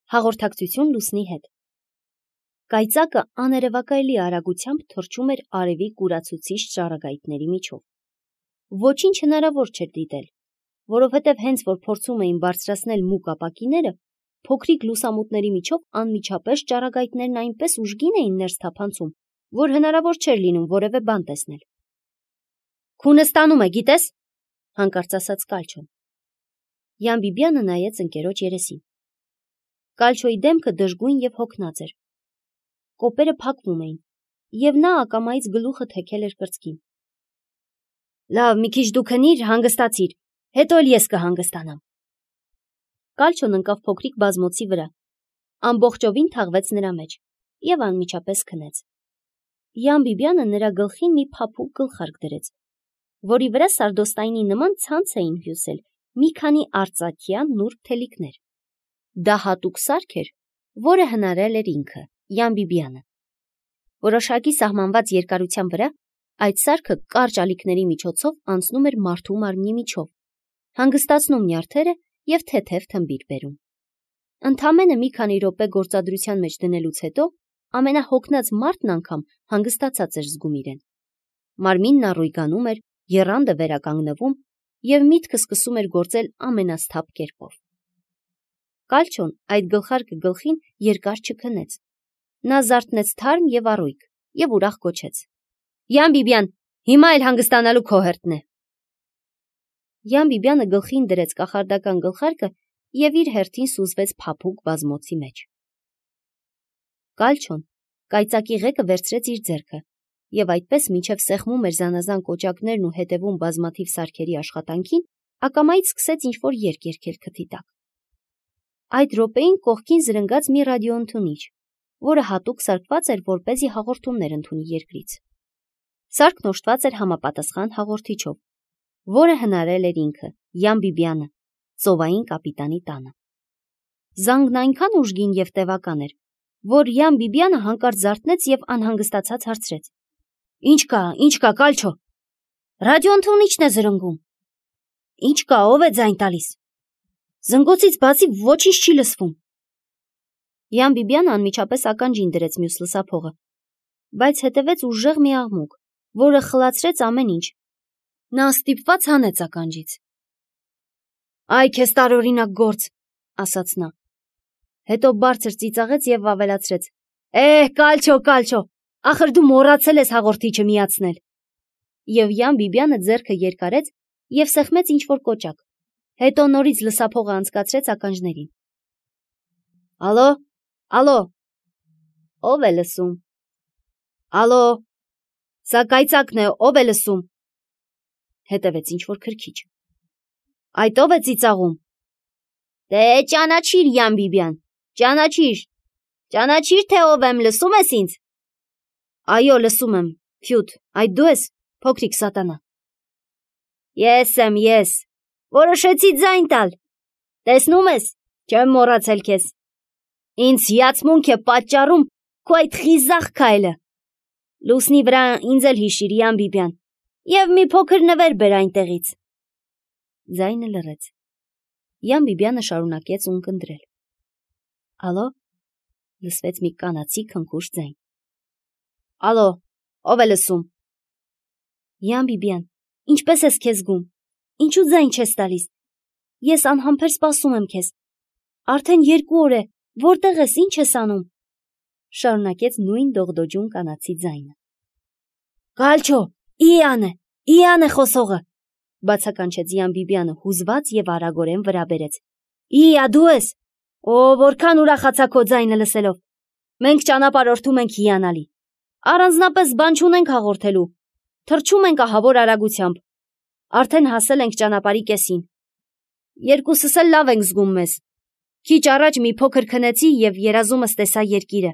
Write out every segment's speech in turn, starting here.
Հաղորդակցություն Լուսնի հետ։ Կայծակը աներևակայելի արագությամբ թռչում էր արևի կուրացուցիչ ճառագայթների միջով։ Ոչինչ հնարավոր չէր դիտել, որովհետև հենց որ փորձում էին բարձրացնել մուգ ապակիները, փոքրիկ լուսամուտների միջով անմիջապես ճառագայթներն այնպես ուժգին էին ներս թափանցում, որ հնարավոր չէր լինում որևէ բան տեսնել։ Քունը ստանում է, գիտես, հանկարծ ասաց Կալչոն։ Յան Բիբյանը նայեց ընկերոջ երեսին։ Կալչոյի դեմքը դժգույն եւ հոգնած էր։ Կոպերը փակվում էին, եւ նա ակամայից գլուխը թեքել էր կրծքին։ Լավ, մի քիչ դու քնիր, հանգստացիր, հետո էլ ես կհանգստանամ։ Կալչոն ընկավ փոքրիկ բազմոցի վրա, ամբողջովին թաղվեց նրա մեջ եւ անմիջապես քնեց։ Յան Բիբյանը նրա գլխին մի փափուկ գլխարկ դրեց, որի վրա սարդոստայնի նման ցանց էին հյուսել մի քանի արծաթյան նուրբ թելիկներ։ Դա հատուկ սարք էր, որը հնարել էր ինքը, Յան Բիբյանը։ Որոշակի սահմանված երկարության վրա այդ սարքը կարճ ալիքների միջոցով անցնում էր մարդու մարմնի միջով, հանգստացնում նյարդերը եւ թեթև թմբիր բերում։ Ընդամենը մի քանի րոպե գործադրության մեջ դնելուց հետո ամենահոգնած մարդն անգամ հանգստացած էր զգում իրեն։ Մարմինն առույգանում էր, եռանդը վերականգնվում եւ միտքը սկսում էր գործել ամենասթափ կերպով։ Կալչոն այդ գլխարկը գլխին երկար չքնեց։ Նա զարթնեց թարմ եւ առույգ եւ ուրախ գոչեց. Յան Բիբյան, հիմա էլ հանգստանալու քո հերթն է։ Յան Բիբյանը գլխին դրեց կախարդական գլխարկը եւ իր հերթին սուզվեց փափուկ բազմոցի մեջ։ Կալչոն կայծակի ղեկը վերցրեց իր ձեռքը եւ այդպես մինչև սեղմում էր զանազան կոճակներն ու հետևում բազմաթիվ սարքերի աշխատանքին, ակամայից սկսեց ինչ-որ երգ երգել քթի տակ։ Այդ րոպեին կողքին զրնգաց մի ռադիոընդունիչ, որը հատուկ սարքված էր, որպեսզի հաղորդումներ ընդունի երկրից։ Սարքն օժտված էր համապատասխան հաղորդիչով, որը հնարել էր ինքը, Յան Բիբյանը, ծովային կապիտանի տանը։ Զանգն այնքան ուժգին եւ տևական էր, որ Յան Բիբյանը հանկարծ զարթնեց եւ անհանգստացած հարցրեց. Ինչ կա, Կալչո։ Ռադիոընդունիչն է զրնգում։ Ինչ կա, ով է ձայն տալիս։ Զնգոցից բացի ոչինչ չի լսվում։ Յան Բիբյանը անմիջապես ականջին դրեց մյուս լսափողը, բայց հետևեց ուժեղ մի աղմուկ, որը խլացրեց ամեն ինչ։ Նա ստիպված հանեց ականջից։ Այ քեզ տարօրինակ գործ, ասաց նա։ Հետո բարձր ծիծաղեց եւ ավելացրեց. Կալչո, ախր դու մոռացել ես հաղորդիչը միացնել։ Եվ Յան Բիբյանը ձեռքը երկարեց եւ սեղմեց ինչ-որ կոճակ։ Հետո նորից լսափողը անցկացրեց ականջներին։ Ալո, ով է լսում։ Ալո, սա կայծակն է, ով է լսում։ Հետևեց ինչ-որ քրքիջ։ Այդ ով է ծիծաղում։ Դե ճանաչիր, Յան Բիբյան, ճանաչիր, թե ով եմ, լսում ես ինձ։ Այո, լսում եմ, Ֆյուտ, այդ դու ես, փոքրիկ սատանա։ Ես եմ, որոշեցի ձայն տալ։ Տեսնում ես, չեմ մոռացել քեզ։ Ինձ հիացմունք է պատճառում քո այդ խիզախ քայլը։ Լուսնի վրա ինձ էլ հիշիր, Յան Բիբյան, եւ մի փոքր նվեր բեր այնտեղից։ Ձայնը լռեց։ Յան Բիբյանը շարունակեց ունկնդրել։ Ալո, լսվեց մի կանացի քնքուշ ձայն։ Ալո, ով է լսում։ Յան Բիբյան, ինչպես ես քեզ զգում։ Ինչու ձայն չես տալիս։ Ես անհամբեր սպասում եմ քեզ։ Արդեն 2 օր է, որտեղ ես, ինչ ես անում։ Շարունակեց նույն դողդոջուն կանացի ձայնը։ Կալչո, Իան է խոսողը, բացականչեց Յան Բիբյանը հուզված եւ արագորեն վրա բերեց։ Իա, դու ես։ Որքան ուրախացա քո ձայնը լսելով։ Մենք ճանապարհորդում ենք հիանալի։ Առանձնապես բան չունենք հաղորդելու։ Թռչում ենք ահավոր արագությամբ։ Արդեն հասել ենք ճանապարհի կեսին։ Երկուսս էլ լավ ենք զգում մեզ։ Քիչ առաջ մի փոքր քնեցի եւ երազումս տեսա երկիրը։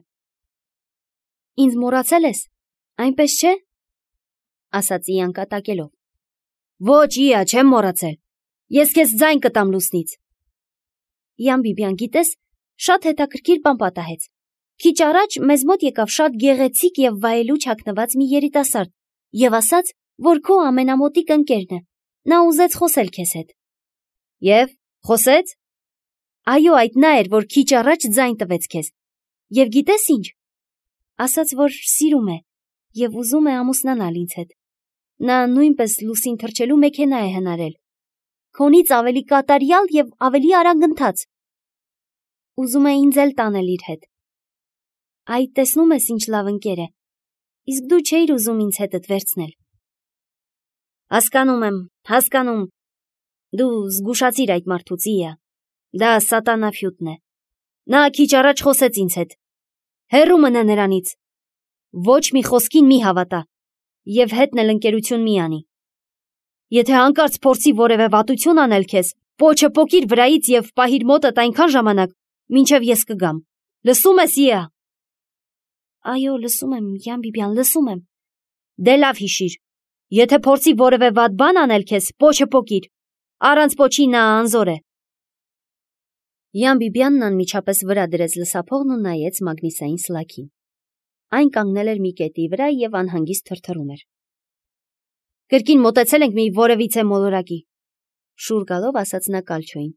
Ինձ մոռացել ես, այնպես չէ։ Ասաց Իան կատակելով։ Ոչ, Իա, չեմ մոռացել։ Ես քեզ ձայն կտամ լուսնից։ Յան Բիբյան, գիտես, շատ հետաքրքիր բան պատահեց։ Քիչ առաջ մեզ մոտ եկավ շատ գեղեցիկ եւ վայելուչ հագնված մի երիտասարդ եւ ասաց, որ քո ամենամոտիկ ընկերն է։ Նա ուզեց խոսել քեզ հետ։ Եվ խոսեց։ Այո, այդ նա էր, որ քիչ առաջ ձայն տվեց քեզ։ Եվ գիտես ինչ, ասաց, որ սիրում է եւ ուզում է ամուսնանալ ինձ հետ։ Նա նույնպես լուսին թռչելու մեքենա է հնարել։ Քոնից ավելի կատարյալ եւ ավելի արագընթաց։ Ուզում է ինձ էլ տանել իր հետ։ Այ տեսնում ես ինչ լավ ընկեր է։ Իսկ դու չէիր ուզում ինձ հետդ վերցնել։ Հասկանում եմ, հասկանում։ Դու զգուշացիր այդ մարդուց իա։ Դա սատանաֆյուտն է։ Նա քիչ առաջ խոսեց ինձ հետ։ Հեռու մնա նրանից։ Ոչ մի խոսքին մի հավատա։ Եվ հետն էլ ընկերություն մի անի։ Եթե հանկարծ փորձի որևէ վատություն անել քեզ, պոչը պոկիր վրայից եւ պահիր մոտդ այնքան ժամանակ, մինչեւ ես կգամ։ Լսում ես իա։ Այո, լսում եմ, Յան Բիբյան, լսում եմ։ Դե լավ հիշիր։ Եթե փորձի որևէ վատ բան անել քեզ, պոչը պոկիր։ Առանց պոչի նա անզոր է։ Յան Բիբյանն անմիջապես վրա դրեց լսափողն ու նայեց Մագնիսային սլաքին։ Այն կանգնել էր մի կետի վրա եւ անհանգիստ թրթռում էր։ Կրկին մոտեցել ենք մի որևիցե մոլորակի, շուռ գալով ասաց նա Կալչոին,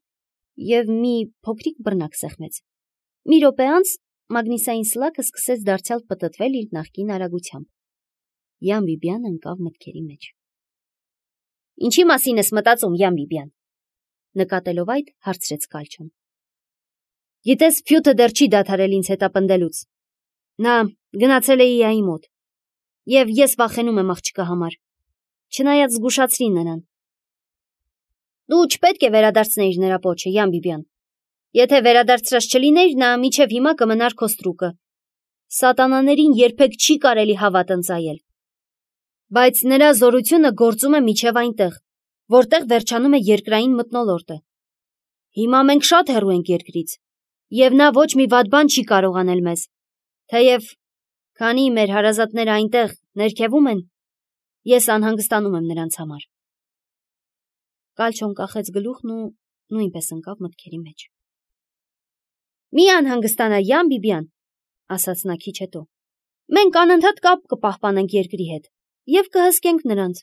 եւ մի փոքրիկ բռնակ սեղմեց։ Մի րոպե անց Մագնիսային սլաքը սկսեց դարձյալ պտտվել իր նախկին արագությամբ։ Յան Բիբյանը ընկավ մտքերի մեջ։ Ինչի մասին ես մտածում, Յան Բիբյան։ Նկատելով այդ, հարցրեց Կալչոն։ Գիտես, Ֆյութը դեռ չի դադարել ինձ հետապնդելուց։ Նա գնացել է իայի մոտ։ Եվ ես վախենում եմ աղջկա համար։ Չնայած զգուշացրի նրան։ Դու չպետք է վերադարձնեիր նրա պոչը, Յան Բիբյան։ Եթե վերադարձրած չլիներ, նա մինչև հիմա կմնար քո ստրուկը։ Սատանաներին երբեք չի կարելի հավատ ընծայել։ Բայց նրա զորությունը գործում է մինչև այնտեղ, որտեղ վերջանում է երկրային մթնոլորտը։ Հիմա մենք շատ հեռու ենք երկրից, եւ նա ոչ մի վատ բան չի կարող անել մեզ։ Թեև քանի մեր հարազատները այնտեղ ներքևում են, ես անհանգստանում եմ նրանց համար։ Կալչոն կախեց գլուխն ու նույնպես ընկավ մտքերի մեջ։ Մի անհանգստանա, Յան Բիբյան, ասաց նա քիչ հետո։ Մենք անընդհատ կապ կպահպանենք երկրի հետ եւ կհսկենք նրանց։